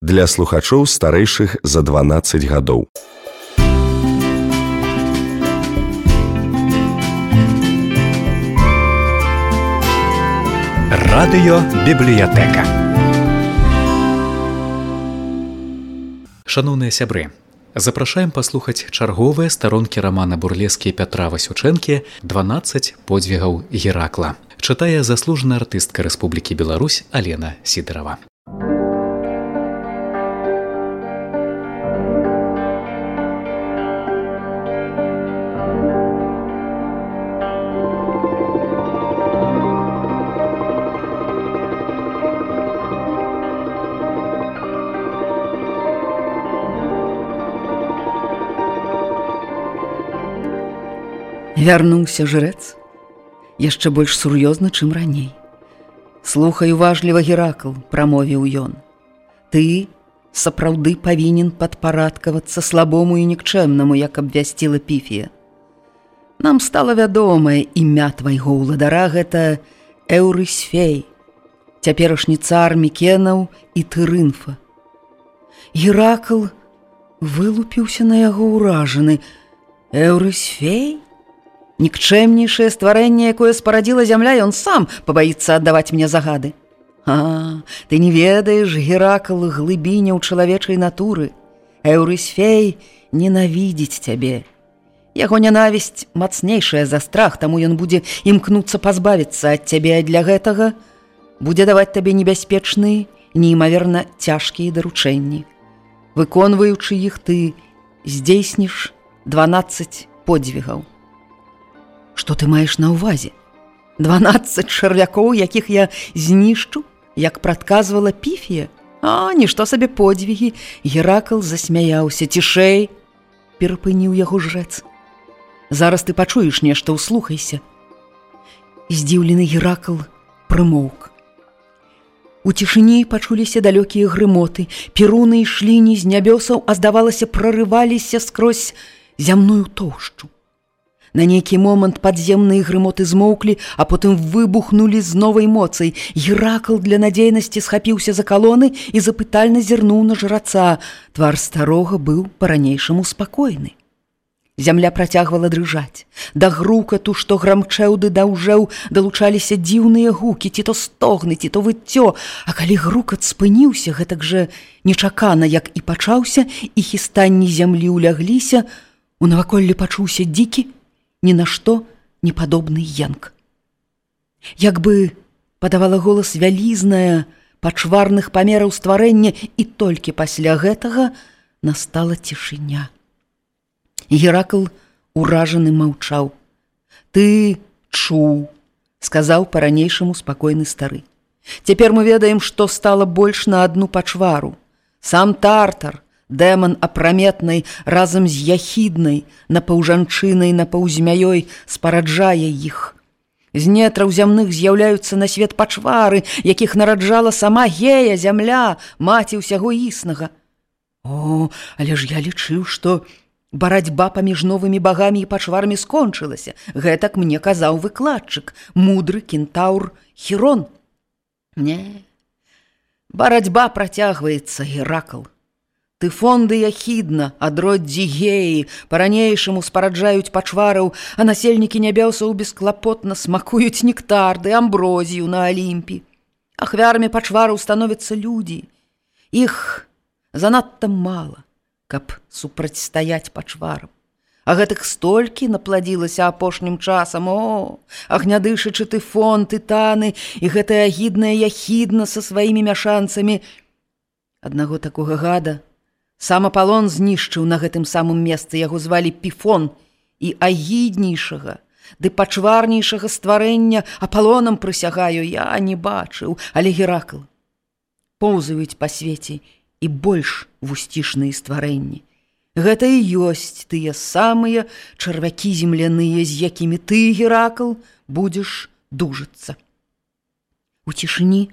Для слухачоў старэйшых за 12 гадоў. Радыёбібліятэка. Шаноўныя сябры, запрашаем паслухаць чарговыя старонкі рамана бурлескі Пятра Васючэнкі «12 подзвігаў Геракла». Чытае заслужаная артыстка Рэспублікі Беларусь Алена Сідырава. Вярнуўся жрэц, яшчэ больш сур'ёзна, чым раней. «Слухай уважліва, Геракл», – прамовіў ён. «Ты сапраўды павінен падпарадкавацца слабому і нікчэмнаму, як абвясціла Піфія. Нам стала вядомае імя твайго ўладара – гэта Эўрысфей, цяперашні цар Мікенаў і Тырынфа». Геракл вылупіўся на яго ўражаны. «Эўрысфей? Нікчэмнейшае стварэнне, якое спарадзіла зямля, ён сам пабаіцца аддаваць мне загады. Ты не ведаеш, Геракл, глыбіня ў чалавечай натуры. Эўрысфей ненавідзіць цябе. Яго нянавісць мацнейшая за страх, таму ён будзе імкнуцца пазбавіцца ад цябе, а для гэтага будзе даваць табе небяспечныя, неймаверна цяжкія даручэнні. Выконваючы іх, ты здзейсніш 12 подзвігаў. Што ты маеш на ўвазе? 12 чарвякоў, якіх я знішчу, як прадказвала Піфія? Нішто сабе подзвігі. Геракл засмяяўся. Цішэй, перапыніў яго жрэц. Зараз ты пачуеш нешта, услухайся. Здзіўлены Геракл прымоўк. У цішыні пачуліся далёкія грымоты. Перуны ішлі не з нябёсаў, а, здавалася, прарываліся скрозь зямную тоўшчу. На нейкі момант падземныя грымоты змоўклі, а потым выбухнулі з новай моцай. Геракл для надзейнасці схапіўся за калоны і запытальна зірнуў на жраца. Твар старога быў па-ранейшаму спакойны. Зямля працягвала дрыжаць. Да грукату, што грамчэў ды даўжэў, далучаліся дзіўныя гукі, ці то стогны, ці то выццё. А калі грукат спыніўся, гэтак жа нечакана, як і пачаўся, і хістанні зямлі ўлягліся, у наваколлі пачуўся дзікі, ні на што не падобны янк. Як бы падавала голас вялізнае, пачварных памераў стварэння, і толькі пасля гэтага настала цішыня. Геракл уражаны маўчаў. «Ты чуў», – сказаў па-ранейшаму спакойны стары. «Цяпер мы ведаем, што стала больш на адну пачвару. Сам Тартар, дэман апраметнай, разам з Яхіднай, напаўжанчынай, напаўзмяёй, спараджае іх. З нетраў зямных з'яўляюцца на свет пачвары, якіх нараджала сама Гея, зямля, маці ўсяго існага. Але ж я лічыў, што барацьба паміж новымі багамі і пачварамі скончылася. Гэтак мне казаў выкладчык, мудры кентаўр Хірон. Не, барацьба працягваецца, Геракл. Тыфон ды Яхідна, адроддзі Геі, па-ранейшаму спараджаюць пачвараў, а насельнікі нябёсаў бесклапотна смакуюць нектар ды амброзію на Алімпі. Ахвярамі пачвараў становяцца людзі. Іх занадта мала, каб супрацьстаяць пачварам. А гэтых столькі напладзілася апошнім часам. Агнядышачы Тыфон, Тытаны і гэтая агідная Яхідна са сваімі мяшанцамі. Аднаго такога гада сам Апалон знішчыў на гэтым самым месцы. Яго звалі Піфон, і агіднейшага ды пачварнейшага стварэння, Апалонам прысягаю, я не бачыў. Але, Геракл, поўзаюць па свеце і больш вусцішныя стварэнні. Гэта і ёсць тыя самыя чарвякі земляныя, з якімі ты, Геракл, будзеш дужыцца. У цішыні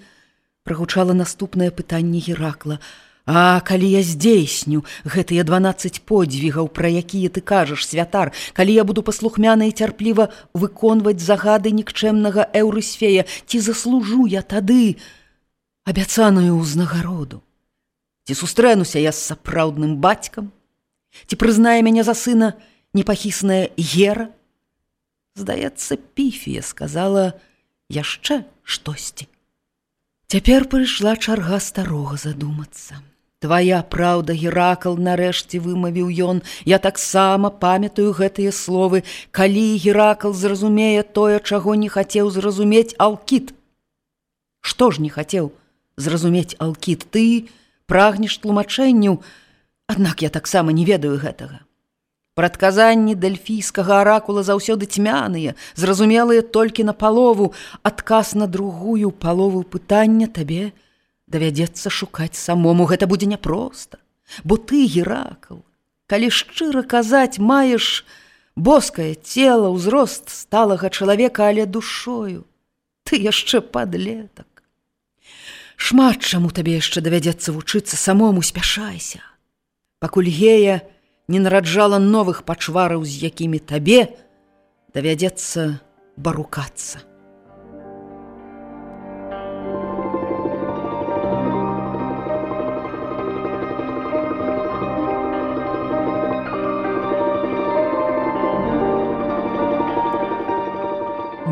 прагучала наступнае пытанне Геракла. Калі я здзейсню гэтыя 12 подзвігаў, пра якія ты кажаш, святар, калі я буду паслухмяна і цярпліва выконваць загады нікчэмнага Эўрысфея, ці заслужу я тады абяцаную ўзнагароду? Ці сустрэнуся я з сапраўдным бацькам? Ці прызнае мяне за сына непахісная Гера? Здаецца, Піфія сказала яшчэ штосьці. Цяпер прыйшла чарга старога задумацца. Твая праўда, Геракл, нарэшце вымавіў ён. Я таксама памятаю гэтыя словы. Калі Геракл зразумее тое, чаго не хацеў зразумець Алкіт. Што ж не хацеў зразумець Алкіт? Ты прагнеш тлумачэнняў, аднак я таксама не ведаю гэтага. Прадказанні дельфійскага аракула заўсёды цьмяныя, зразумелыя толькі на палову. Адказ на другую палову пытання табе давядзецца шукаць самому. Гэта будзе няпроста, бо ты, Геракл, калі шчыра казаць, маеш боскае цела, ўзрост сталага чалавека, але душою ты яшчэ падлетак. Шмат чаму табе яшчэ давядзецца вучыцца самому, спяшайся. Пакуль Гея не нараджала новых пачвараў, з якімі табе давядзецца барукацца.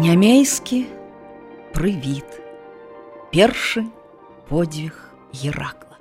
Нямейскі прывід. Першы подвиг Геракла.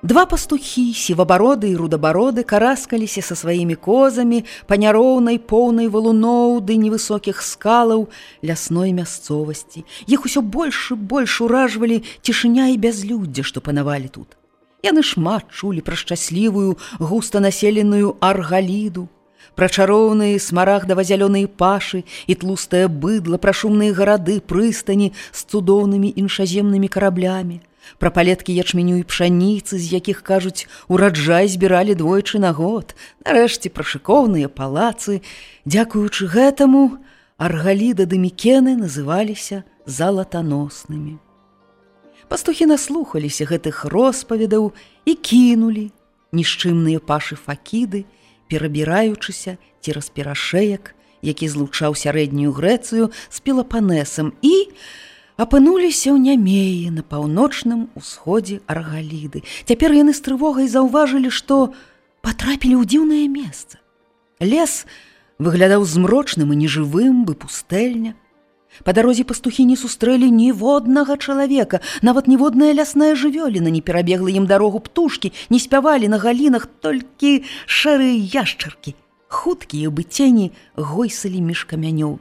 Два пастухі, сівабароды і рудабароды, караскаліся са сваімі козамі па няроўнай, поўнай валуноў ды невысокіх скалаў лясной мясцовасці. Іх усё больш і больш уражвалі цішыня і бязлюддзе, што панавалі тут. Яны шмат чулі пра шчаслівую, густанаселеную Аргаліду, пра чароўныя смарагдава-зялёныя пашы і тлустае быдла, пра шумныя гарады, прыстані з цудоўнымі іншаземнымі караблямі, пра палеткі ячменю і пшаніцы, з якіх, кажуць, ураджай збіралі двойчы на год, нарэшце пра шыкоўныя палацы. Дзякуючы гэтаму Аргаліда ды Мікены называліся залатаноснымі. Пастухі наслухаліся гэтых роспаведаў і кінулі нішчымныя пашы Факіды, перабіраючыся цераз перашэек, які злучаў сярэднюю Грэцыю з Пелапанесам, і апынуліся ў Нямеі на паўночным усходзе Аргаліды. Цяпер яны з трывогай заўважылі, што патрапілі ў дзіўнае месца. Лес выглядаў змрочным і нежывым, бы пустэльня. Па дарозе пастухі не сустрэлі ніводнага чалавека, нават ніводная лясная жывёліна не перабегла ім дарогу, птушкі не спявалі на галінах, толькі шэрыя яшчаркі, хуткія бы цені, гойсалі між камянёў.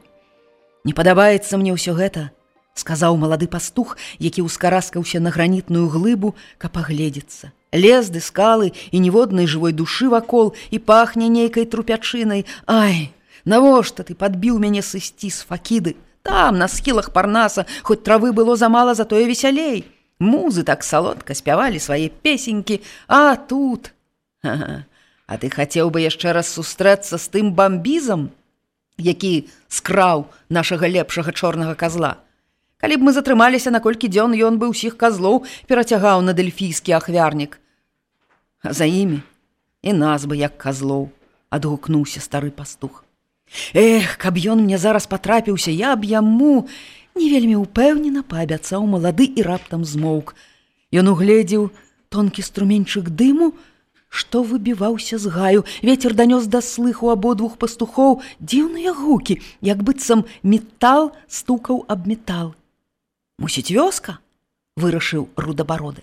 «Не падабаецца мне ўсё гэта», — сказаў малады пастух, які ўскараскаўся на гранітную глыбу, каб агледзецца. «Лес ды скалы і ніводнай жывой душы вакол, і пахне нейкай трупячынай. Ай, навошта ты падбіў мяне сысці з Факіды? Там, на схілах Парнаса, хоць травы было замала, затое весялей. Музы так салодка спявалі свае песенькі, а тут... А ты хацеў бы яшчэ раз сустрэцца з тым бамбізам, які скраў нашага лепшага чорнага казла? Калі б мы затрымаліся на колькі дзён, ён бы ўсіх казлоў перацягаў на дельфійскі ахвярнік. А за імі і нас бы як казлоў, адгукнуўся стары пастух. Эх, каб ён мне зараз патрапіўся, я б яму не вельмі ўпэўнена паабяцаў малады і раптам змоўк. Ён угледзеў тонкі струменьчык дыму, што выбіваўся з гаю. Вецер данёс да слыху абодвух пастухоў дзіўныя гукі, як быццам метал стукаў аб метал. «Мусіць, вёска?» — вырашыў рудабароды.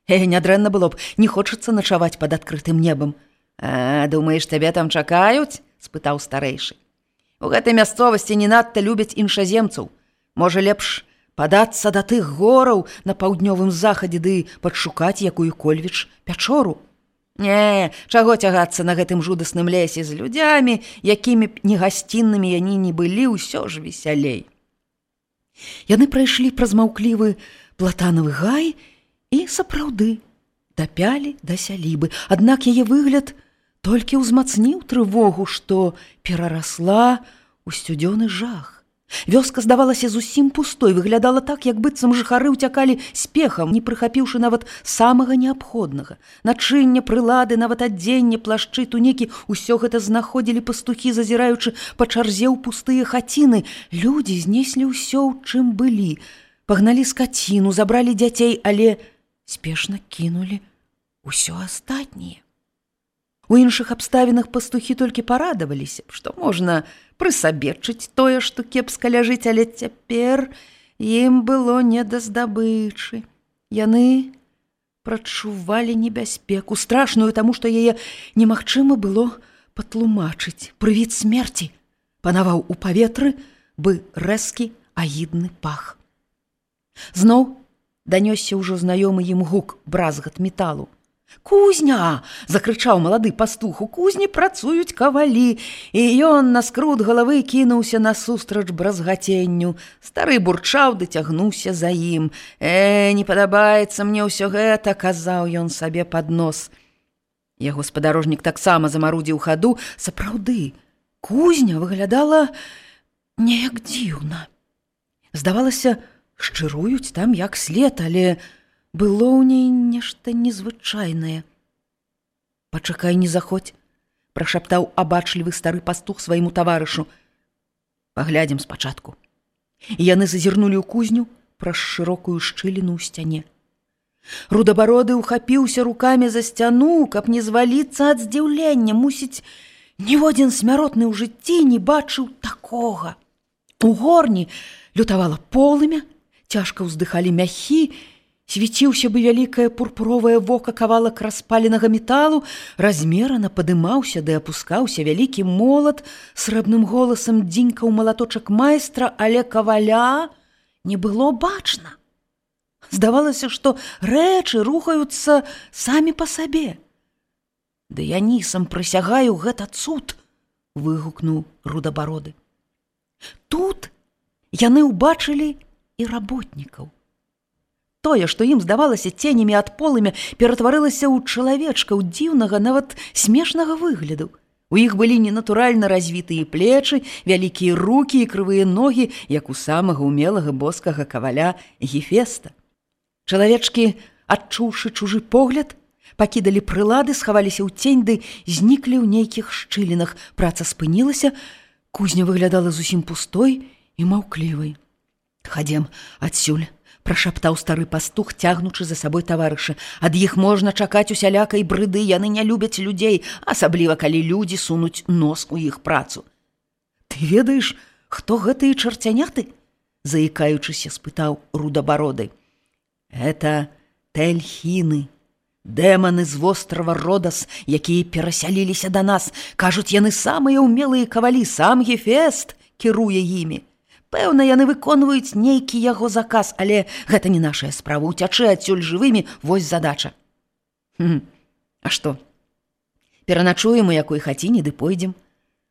Нядрэнна было б, не хочацца начаваць пад адкрытым небам. Думаеш, табе там чакаюць?» — спытаў старэйшы. «У гэтай мясцовасці не надта любяць іншаземцаў. Можа, лепш падацца да тых гораў на паўднёвым захадзе ды падшукаць якую-кольвіч пячору. Не, чаго цягацца на гэтым жудасным лесе з людзямі, якімі б негасціннымі яны не былі, ўсё ж весялей». Яны прайшлі праз маўклівы платанавы гай і сапраўды дапялі да сялібы. Аднак яе выгляд толькі ўзмацніў трывогу, што перарасла ў сцюдзёны жах. Вёска здавалася зусім пустой, выглядала так, як быццам жыхары ўцякалі спехам, не прыхапіўшы нават самага неабходнага. Начынне, прылады, нават адзенне, плашчы, тунікі — усё гэта знаходзілі пастухі, зазіраючы па чарзе ў пустыя хаціны. Людзі знеслі ўсё, у чым былі. Пагналі скаціну, забралі дзяцей, але спешна кінулі ўсё астатняе. У іншых абставінах пастухі толькі парадаваліся, што можна прысабечыць тое, што кепска ляжыць, але цяпер ім было не да здабычы. Яны прачувалі небяспеку, страшную, таму што яе немагчыма было патлумачыць. Прывід смерці панаваў у паветры, бы рэзкі агідны пах. Зноў данёсся ўжо знаёмы ім гук, бразгат металу. «Кузня!» – закрычаў малады пастух. «У кузні працуюць кавалі!» І ён на скрут галавы кінуўся насустрач бразгаценню. Стары бурчаў ды цягнуўся за ім. Не падабаецца мне ўсё гэта!» – казаў ён сабе пад нос. Яго спадарожнік таксама замарудзіў хаду. Сапраўды, кузня выглядала неяк дзіўна. Здавалася, шчыруюць там як след, але было ў ней нешта незвычайнае. «Пачакай, не заходь», – прашаптаў абачлівы стары пастух свайму таварышу. «Паглядзім спачатку». І яны зазірнулі ў кузню праз шырокую шчыліну ў сцяне. Рудабароды ўхапіўся рукамі за сцяну, каб не зваліцца ад здзіўлення. Мусіць, ніводзін смяротны ў жыцці не бачыў такога. У горні лютавала полымя, цяжка ўздыхалі мяхі, свяціўся бы вялікае пурпуровае вока кавалак распаленага металу, размерана падымаўся ды апускаўся вялікі молат, срэбным голасам дзінькаў малаточак майстра, але каваля не было бачна. Здавалася, што рэчы рухаюцца самі па сабе. «Дыянісам прысягаю, гэта цуд!» – выгукнуў Рудабароды. Тут яны ўбачылі і работнікаў. Тое, што ім здавалася ценямі ад полымя, ператварылася ў чалавечкаў дзіўнага, нават смешнага выгляду. У іх былі ненатуральна развітыя плечы, вялікія рукі і крывыя ногі, як у самага умелага боскага каваля Гефеста. Чалавечкі, адчуўшы чужы погляд, пакідалі прылады, схаваліся ў цень ды зніклі ў нейкіх шчылінах. Праца спынілася, кузня выглядала зусім пустой і маўклівай. «Хадзем адсюль», – прашаптаў стары пастух, цягнучы за сабой таварыша. «Ад іх можна чакаць усялякай брыды, яны не любяць людзей, асабліва калі людзі сунуць нос у іх працу». «Ты ведаеш, хто гэтыя чарцяняты?» – заікаючыся спытаў Рудабароды. «Это тэльхіны, дэманы з вострава Родас, якія перасяліліся да нас. Кажуць, яны самыя ўмелыя кавалі, сам Гефест кіруе імі. Пэўна, яны выконваюць нейкі яго заказ, але гэта не нашая справа. Уцячы адсюль жывымі, вось задача». «А што? Пераначуем у якой хаціне ды пойдзем.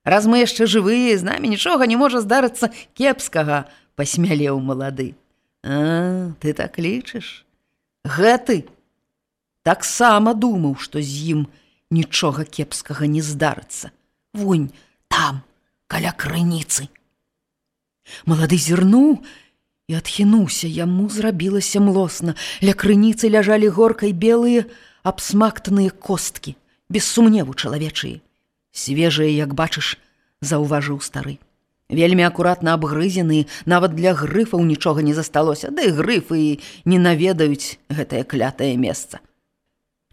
Раз мы яшчэ жывыя, з намі нічога не можа здарыцца кепскага», – пасмялеў малады. Ты так лічыш? Гэты таксама думаў, што з ім нічога кепскага не здарыцца. Вунь, там, каля крыніцы». Малады зірнуў і адхінуўся, яму зрабілася млосна. Ля крыніцы ляжалі горкай белыя абсмактаныя косткі, без сумневу чалавечыя. Свежыя, як бачыш, заўважыў стары. Вельмі акуратна абгрызены, нават для грыфаў нічога не засталося, да і грыфы не наведаюць гэтае клятае месца.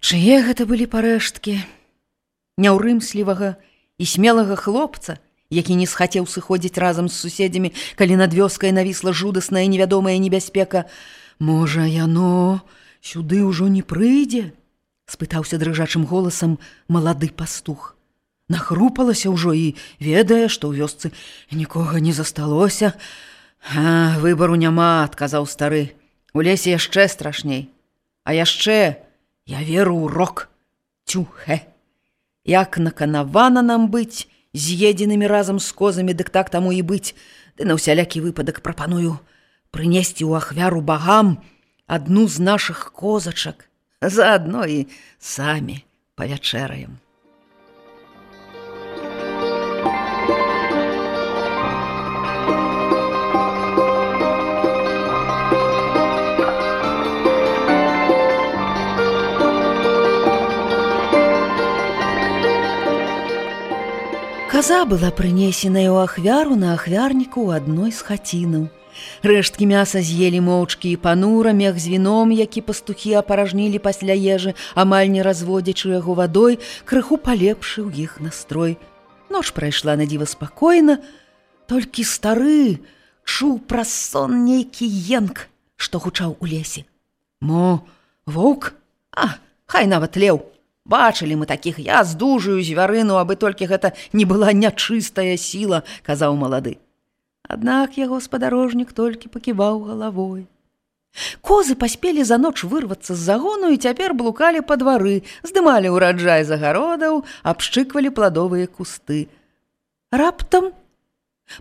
Чые гэта былі парэшткі? Няўрымслівага і смелага хлопца, які не схацеў сыходзіць разам з суседзямі, калі над вёскай навісла жудасная невядомая небяспека. «Можа, яно сюды ўжо не прыйдзе?» – спытаўся дрыжачым голасам малады пастух. Нахрупалася ўжо і ведае, што ў вёсцы нікога не засталося. «Выбару няма», – адказаў стары. «У лесе яшчэ страшней. А яшчэ я веру ў рок. Цюхэ. Як наканавана нам быць з'едзенымі разам з козамі, дык так таму і быць. Ды на ўсялякі выпадак прапаную прынесці ў ахвяру багам адну з нашых козачак. Заадно і самі павячэраем». Каза была прынесеная ў ахвяру на ахвярніку ў адной з хацінаў. Рэшткі мяса з'елі моўчкі і панура, мех з віном, які пастухі апаражнілі пасля ежы, амаль не разводзячы яго вадой, крыху палепшыў іх настрой. Ноч прайшла на дзіва спакойна, толькі стары чуў праз сон нейкі енк, што гучаў у лесе. Мо, воўк? Хай нават леў. Бачылі мы такіх, я здужую звярыну, абы толькі гэта не была нячыстая сіла, казаў малады. Аднак яго спадарожнік толькі паківаў галавой. Козы паспелі за ноч вырвацца з загону і цяпер блукалі па двары, здымалі ўраджай з агародаў, абшчыквалі пладовыя кусты. Раптам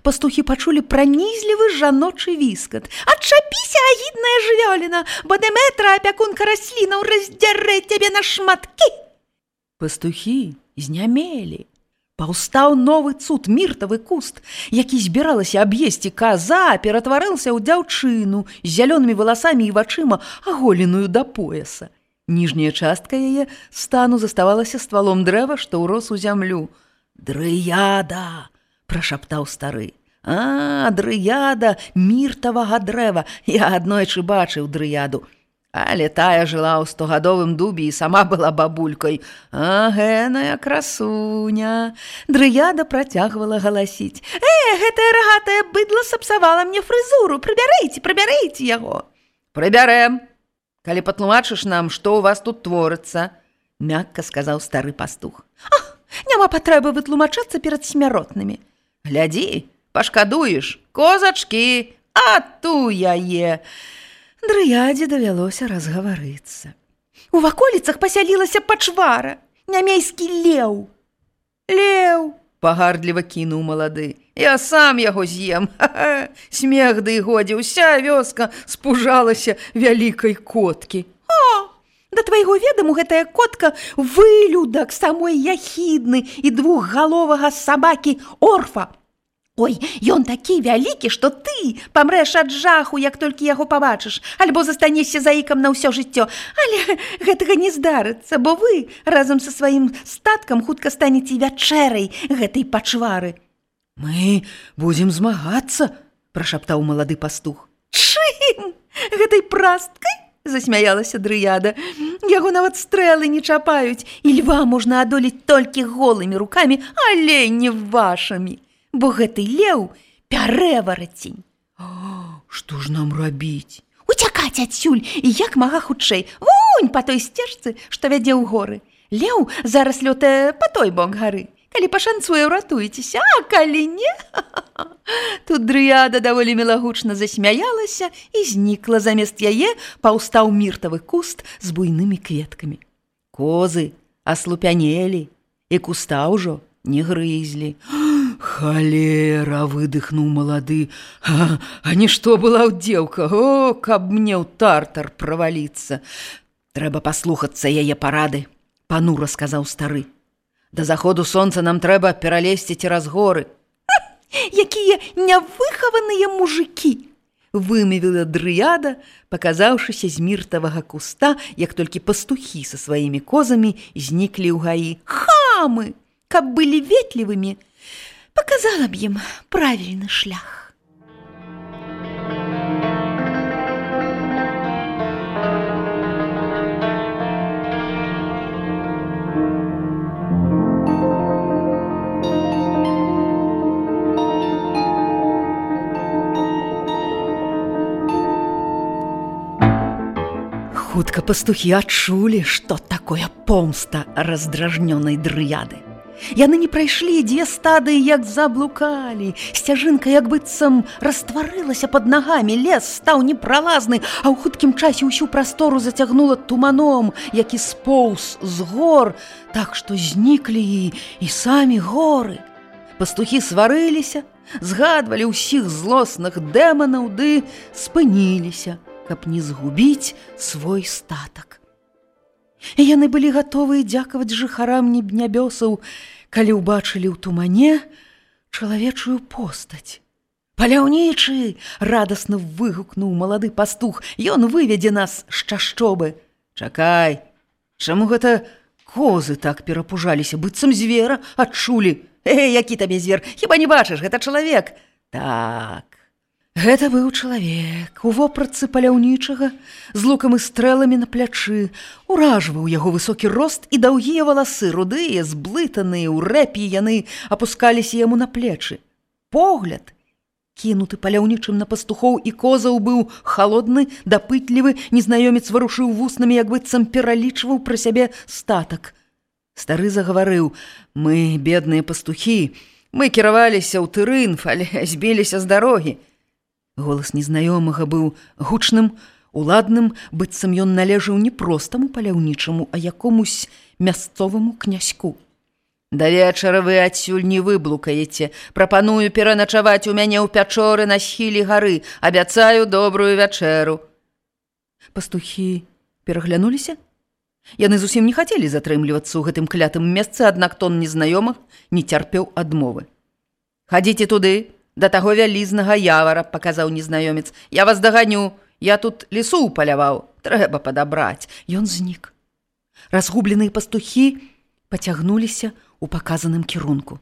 пастухі пачулі пранізлівы жаночы віскат. «Адчапіся, агідная жывёліна, бо Дэмэтра, апякунка раслінаў, раздзярэ цябе на шматкі!» Пастухі знямелі. Паўстаў новы цуд, міртавы куст, які збіралася аб'есці каза, ператварыўся ў дзяўчыну з зялёнымі валасамі і вачыма, аголеную да пояса. Ніжняя частка яе стану заставалася ствалом дрэва, што ўрос у зямлю. «Дрыяда!» – прашаптаў стары. Дрыяда міртавага дрэва. Я аднойчы бачыў дрыяду. Але тая жыла ў 100гадовым дубе і сама была бабулькой. Гэная красуня. Дрыяда працягвала галасіць. Гэтае рагатае быдла сапсавала мне фрызуру. Прыбярыце яго. Прыбярэм. Калі патлумачыш нам, што ў вас тут творыцца, мякка сказаў стары пастух. Няма патрэбы вытлумачацца перад смяротнымі. Глядзі, пашкадуеш, козачкі, ту яе. Дрыядзе давялося разгаварыцца. У ваколіцах пасялілася пачвара, нямейскі леў. Леў, пагардліва кінуў малады. Я сам яго з'ем. Смех ды годзе, уся вёска спужалася вялікай коткі. Да твайго ведаму гэтая котка вылюдак самой яхідны і двухгаловага сабакі Орфа. Ой, ён такі вялікі, што ты памрэш ад жаху, як толькі яго пабачыш, альбо застанешся заікам на ўсё жыццё. Але гэтага не здарыцца, бо вы разам са сваім статкам хутка станеце вячэрай гэтай пачвары. Мы будзем змагацца, прашаптаў малады пастух. Чым? Гэтай прасткай? Засмяялася дрыяда. Яго нават стрэлы не чапаюць, і льва можна адолець толькі голымі рукамі, але не вашымі. Бо гэты леў пярэварацень. Што ж нам рабіць? Уцякаць адсюль і як мага хутчэй. Вунь па той сцежцы, што вядзе ў горы. Леў зараз лётае па той бок гары. Калі пашанцуе, ўратуецеся, а калі не... Тут дрыяда даволі мілагучна засмяялася і знікла. Замест яе паўстаў міртавы куст з буйнымі кветкамі. Козы аслупянелі, і куста ўжо не грызлі. Халера, выдыхнуў малады. Нішто была дзеўка. Каб мне ў тартар праваліцца. Трэба паслухацца яе парады, панура сказаў стары. Да заходу сонца нам трэба пералезці цераз горы. Якія нявыхаваныя мужыкі! Вымявіла дрыяда, паказаўшыся з міртавага куста, як толькі пастухі са сваімі козамі зніклі ў гаі. Хамы! Каб былі ветлівымі, показала б ім правільны шлях. Хутка пастухі адчулі, што такое помста раздражнёнай дрыяды. Яны не прайшлі 2 стадыі, як заблукалі. Сцяжынка як быццам растварылася пад нагамі, лес стаў непралазны, а ў хуткім часе ўсю прастору зацягнула туманом, які споўз з гор, так што зніклі і самі горы. Пастухі сварыліся, згадвалі ўсіх злосных дэманаў ды спыніліся, каб не згубіць свой статак. Яны былі гатовыя дзякаваць жыхарам небнябёсаў, калі ўбачылі ў тумане чалавечую постаць. «Паляўнічы!» – радасна выгукнуў малады пастух. «Ён выведзе нас з чашчобы!» «Чакай! Чаму гэта козы так перапужаліся, быццам звера адчулі?» «Які табе звер? Хіба не бачыш, гэта чалавек!» «Так, Гэта быў чалавек у вопратцы паляўнічага з лукам і стрэламі на плячы. Уражваў яго высокі рост і даўгія валасы, рудыя, зблытаныя, у рэпі яны апускаліся яму на плечы. Погляд, кінуты паляўнічым на пастухоў і козаў, быў халодны, дапытлівы, незнаёмец варушыў вуснамі, як быццам пералічваў пра сябе статак. Стары загаварыў: «Мы, бедныя пастухі, мы кіраваліся ў Тырынф, але збіліся з дарогі». Голас незнаёмага быў гучным, уладным, быццам ён належаў не простаму паляўнічаму, а якомусь мясцоваму князьку. «Да вечара вы адсюль не выблукаеце. Прапаную пераначаваць у мяне ў пячоры на схіле гары. Абяцаю добрую вячэру». Пастухі пераглянуліся. Яны зусім не хацелі затрымлівацца ў гэтым клятым месцы, аднак тон незнаёмых не цярпеў адмовы. «Хадзіце туды, да таго вялізнага явара», – паказаў незнаёмец. «Я вас даганю, я тут лісу паляваў, трэба падабраць». Ён знік. Разгубленыя пастухі пацягнуліся ў паказаным кірунку.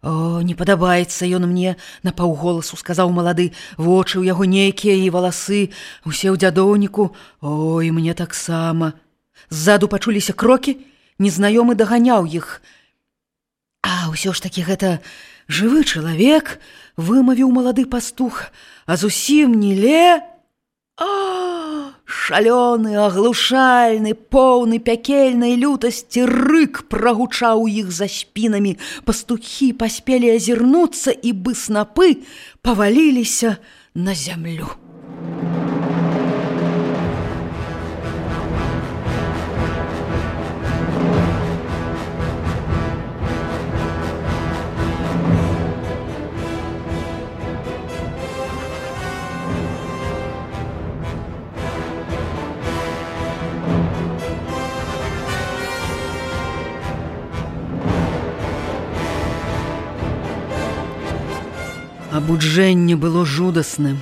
«О, не падабаецца ён мне», – напаўголасу сказаў малады. «Вочы ў яго нейкія і валасы, усе ў дзядоўніку. Ой, мне таксама». Ззаду пачуліся крокі, незнаёмы даганяў іх. «А ўсё ж такі гэта жывы чалавек», – вымавіў малады пастух, «а зусім не ле». Шалёны, аглушальны, поўны пякельнай лютасці рык прагучаў у іх за спінамі. Пастухі паспелі азірнуцца, і бы снапы паваліліся на зямлю. Абуджэнне было жудасным.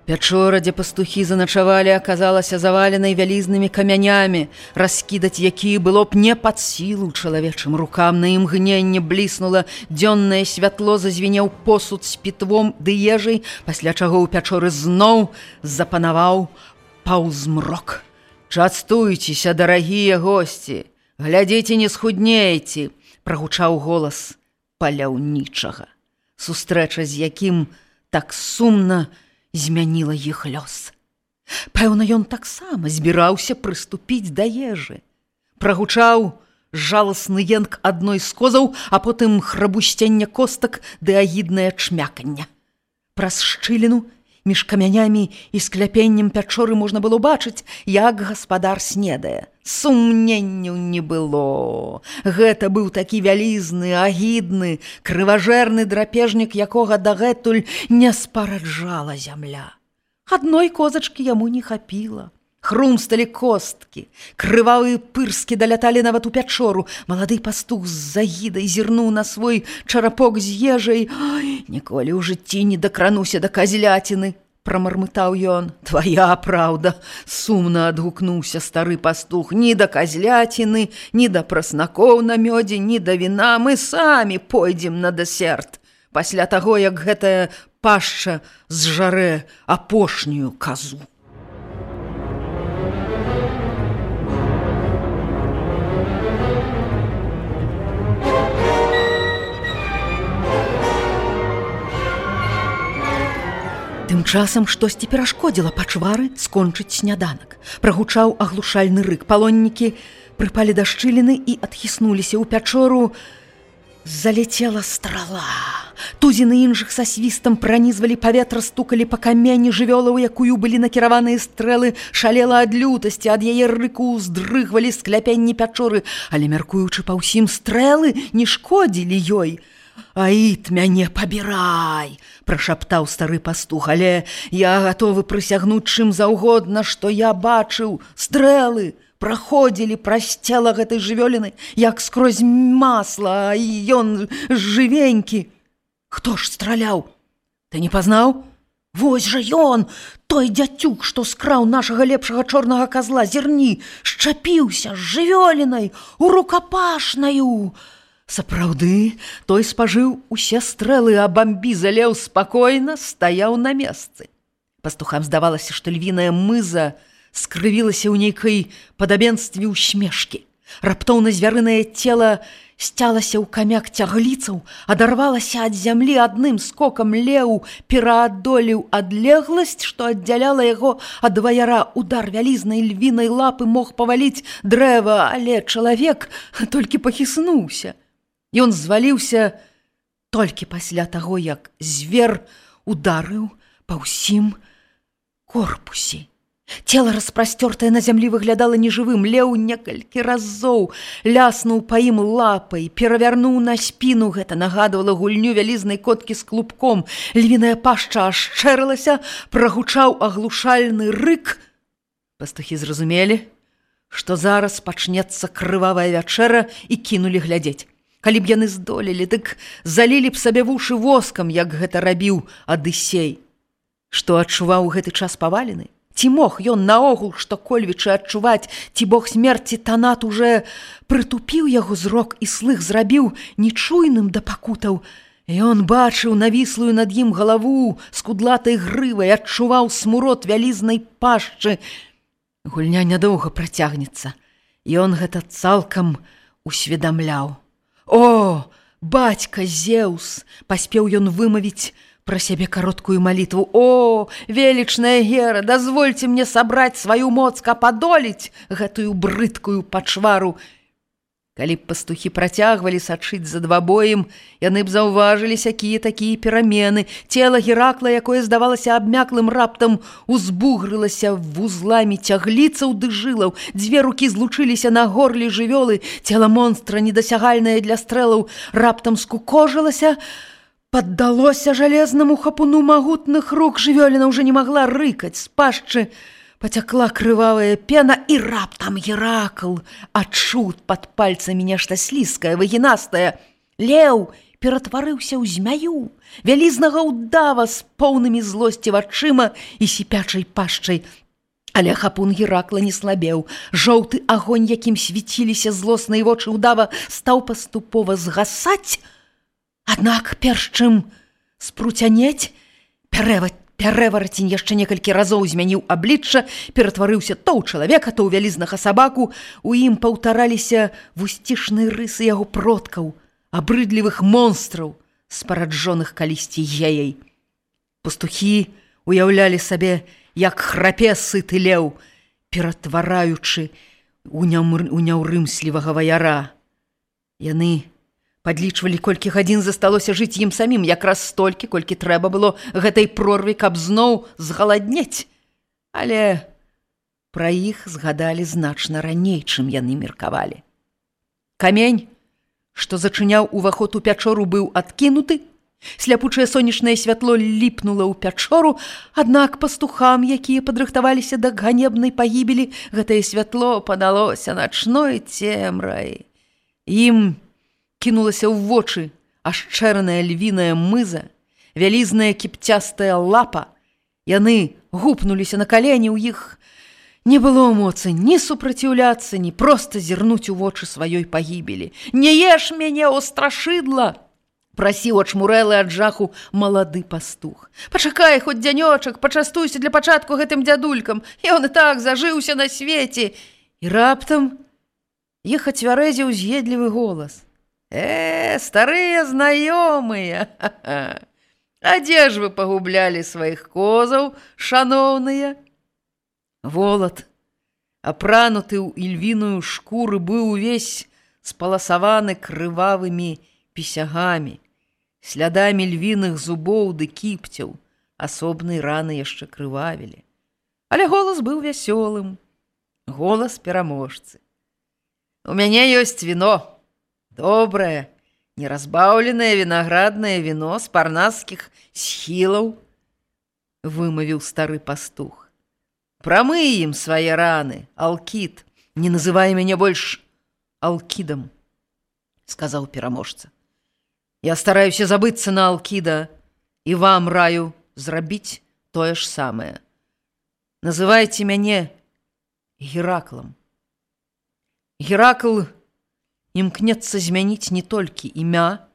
Пячора, дзе пастухі заначавалі, аказалася заваленай вялізнымі камянямі, раскідаць якія было б не пад сілу чалавечым рукам. На імгненне бліснула дзённае святло, зазвінеў посуд з пітвом ды ежай, пасля чаго ў пячоры зноў запанаваў паўзмрок. «Частуйцеся, дарагія госці, глядзіце, не схуднейце», – прагучаў голас паляўнічага, сустрэча з якім так сумна змяніла іх лёс. Пэўна, ён таксама збіраўся прыступіць да ежы. Прагучаў жаласны енк адной з козаў, а потым храбусценне костак ды агіднае чмяканне. Праз шчыліну між камянямі і скляпеннем пячоры можна было бачыць, як гаспадар снедае. Сумненняў не было. Гэта быў такі вялізны, агідны, крыважэрны драпежнік, якога дагэтуль не спараджала зямля. Адной козачкі яму не хапіла. Хрумсталі косткі, крывавыя пырскі даляталі нават у пячору. Малады пастух з загідай зірнуў на свой чарапок з ежай. «Ой, ніколі ў жыцці не дакрануся да казляціны», – прамармытаў ён. «Твая праўда», – сумна адгукнуўся стары пастух. «Ні да казляціны, ні да праснакоў на мёдзе, ні да віна. Мы самі пойдзем на дэсерт, пасля таго, як гэтая пашча зжарэ апошнюю казу». Тым часам штосьці перашкодзіла пачвары скончыць сняданак. Прагучаў аглушальны рык. Палоннікі прыпалі да шчыліны і адхіснуліся ў пячору. Залецела страла. Тузіны іншых са свістам пранізвалі паветра, стукалі па камені. Жывёла, у якую былі накіраваныя стрэлы, шалела ад лютасці, ад яе рыку ўздрыгвалі скляпенні пячоры, але, мяркуючы па ўсім, стрэлы не шкодзілі ёй. «Аід, мяне пабірай!» – прашаптаў стары пастух. «Але я гатовы прысягнуць чым заўгодна, што я бачыў. Стрэлы праходзілі праз цела гэтай жывёліны, як скрозь масла, а ён жывенькі». «Хто ж страляў? Ты не пазнаў? Вось жа ён, той дзяцюк, што скраў нашага лепшага чорнага казла. Зірні, шчапіўся з жывёлінай у рукапашнаю». Сапраўды, той спажыў усе стрэлы, а бамбі залеў спакойна, стаяў на месцы. Пастухам здавалася, што львіная мыза скрывілася ў нейкай падабенстве усмешкі. Раптоўна звярынае цела сцялася ў камяк цягліцаў, адарвалася ад зямлі адным скокам леў, пераадолеў адлегласць, што аддзяляла яго ад ваяра. Удар вялізнай львінай лапы мог паваліць дрэва, але чалавек толькі пахіснуўся. Ён зваліўся толькі пасля таго, як звер ударыў па ўсім корпусе. Цела, распрасцёртае на зямлі, выглядала нежывым. Леў некалькі разоў ляснуў па ім лапай, перавярнуў на спіну. Гэта нагадвала гульню вялізнай коткі з клубком. Львіная пашча ашчэрылася, прагучаў аглушальны рык. Пастухі зразумелі, што зараз пачнецца крывавая вячэра, і кінулі глядзець. Калі б яны здолелі, дык залілі б сабе вушы воскам, як гэта рабіў Адысей. Што адчуваў у гэты час павалены? Ці мог ён наогул што-кольвічы адчуваць, ці бог смерці Танат уже прытупіў яго зрок і слых зрабіў нечуйным да пакутаў. Ён бачыў навіслую над ім галаву з кудлатай грывай, адчуваў смурод вялізнай пашчы. Гульня нядоўга працягнецца. Ён гэта цалкам усведамляў. «О, бацька Зеўс!» – паспеў ён вымавіць пра сябе кароткую малітву. «О, велічная Гера, дазвольце мне сабраць сваю моц, каб адолець гэтую брыдкую пачвару». Калі б пастухі працягвалі сачыць за двабоем, яны б заўважылі сякія-такія перамены. Цела Геракла, якое здавалася абмяклым, раптам узбугрылася вузламі цягліцаў ды жылаў. Дзве рукі злучыліся на горле жывёлы. Цела монстра, недасягальнае для стрэлаў, раптам скукожылася, паддалося жалезнаму хапуну магутных рук. Жывёліна ўжо не магла рыкаць. З пашчы пацякла крывавая пена, і раптам Геракл адчуў пад пальцамі нешта слізкае, выгінастае. Леў ператварыўся ў змяю, вялізнага ўдава з поўнымі злосці вачыма і сіпячай пашчай. Але хапун Геракла не слабеў. Жоўты агонь, якім свяціліся злосныя вочы ўдава, стаў паступова згасаць. Аднак, перш чым спруцянець, пярэварацень яшчэ некалькі разоў змяніў аблічча, ператварыўся то ў чалавека, то ў вялізнага сабаку. У ім паўтараліся вусцішныя рысы яго продкаў, абрыдлівых монстраў, спараджоных калісьці геяй. Пастухі уяўлялі сабе, як храпе сыты леў, ператвараючы ў няўрымслівага ваяра. Яны падлічвалі, колькі гадзін засталося жыць ім самім, якраз столькі, колькі трэба было гэтай прорве, каб зноў згаладнець. Але пра іх згадалі значна раней, чым яны меркавалі. Камень, што зачыняў уваход у пячору, быў адкінуты. Сляпучае сонечнае святло ліпнула ў пячору, аднак пастухам, якія падрыхтаваліся да ганебнай пагібелі, гэтае святло падалося начной цемрай. Ім кінулася ў вочы ашчэраная львіная мыза, вялізная кіпцястая лапа. Яны гупнуліся на калені, у іх не было моцы ні супраціўляцца, ні проста зірнуць у вочы сваёй пагібелі. «Не еш мяне, о страшыдла!» – прасіў ачмурэлы ад жаху малады пастух. «Пачакай хоць дзянёчак, пачастуйся для пачатку гэтым дзядулькам, ён і так зажыўся на свеце». І раптам іх ацвярэзіў з'едлівы голас. Старыя знаёмыя, а дзе ж вы пагублялі сваіх козаў, шаноўныя?» Волат, апрануты ў ільвіную шкуру, быў увесь спаласаваны крывавымі пісягамі, слядамі львіных зубоў ды кіпцяў. Асобныя раны яшчэ крывавілі. Але голас быў вясёлым, голас пераможцы. «У мяне ёсць віно. Добрае, неразбаўленае вінаграднае віно з парнаскіх схілаў», – вымавіў стары пастух. «Прамый ім свае раны, Алкід. Не называй мяне больш Алкідам», – сказаў пераможца. «Я стараюся забыцца на Алкіда, і вам раю зрабіць тое ж самае. Называйце мяне Гераклам». Геракл імкнецца змяніць не толькі імя,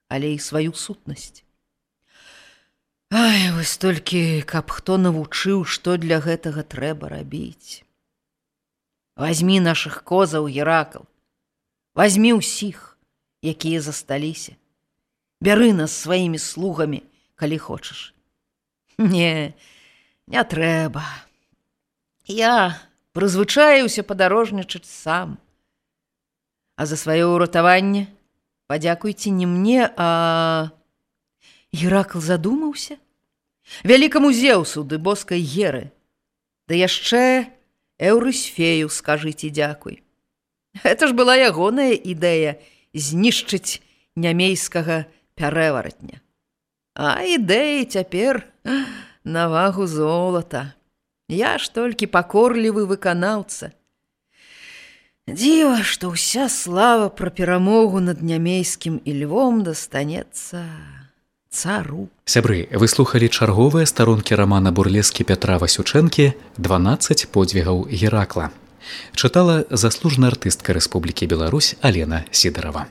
але і сваю сутнасць. Ай, вось толькі, каб хто навучыў, што для гэтага трэба рабіць. Вазьмі нашых козаў, Геракл, вазьмі ўсіх, якія засталіся. Бяры нас сваімі слугамі, калі хочаш. Не трэба. Я прызвычаіўся падарожнічаць сам. А за сваё ўратаванне падзякуйце не мне, а... Геракл задумаўся. Вялікаму Зеўсу ды боскай Геры. Да яшчэ Эўрысфею скажыце дзякуй. Гэта ж была ягоная ідэя знішчыць нямейскага пярэваратня. А ідэі цяпер на вагу золата. Я ж толькі пакорлівы выканаўца. Дзіва, што ўся слава пра перамогу над нямейскім і львом дастанецца цару. Сябры, вы слухалі чарговыя старонкі рамана бурлескі Пятра Васючэнкі «12 подзвігаў Геракла». Чытала заслужная артыстка Рэспублікі Беларусь Алена Сідарова.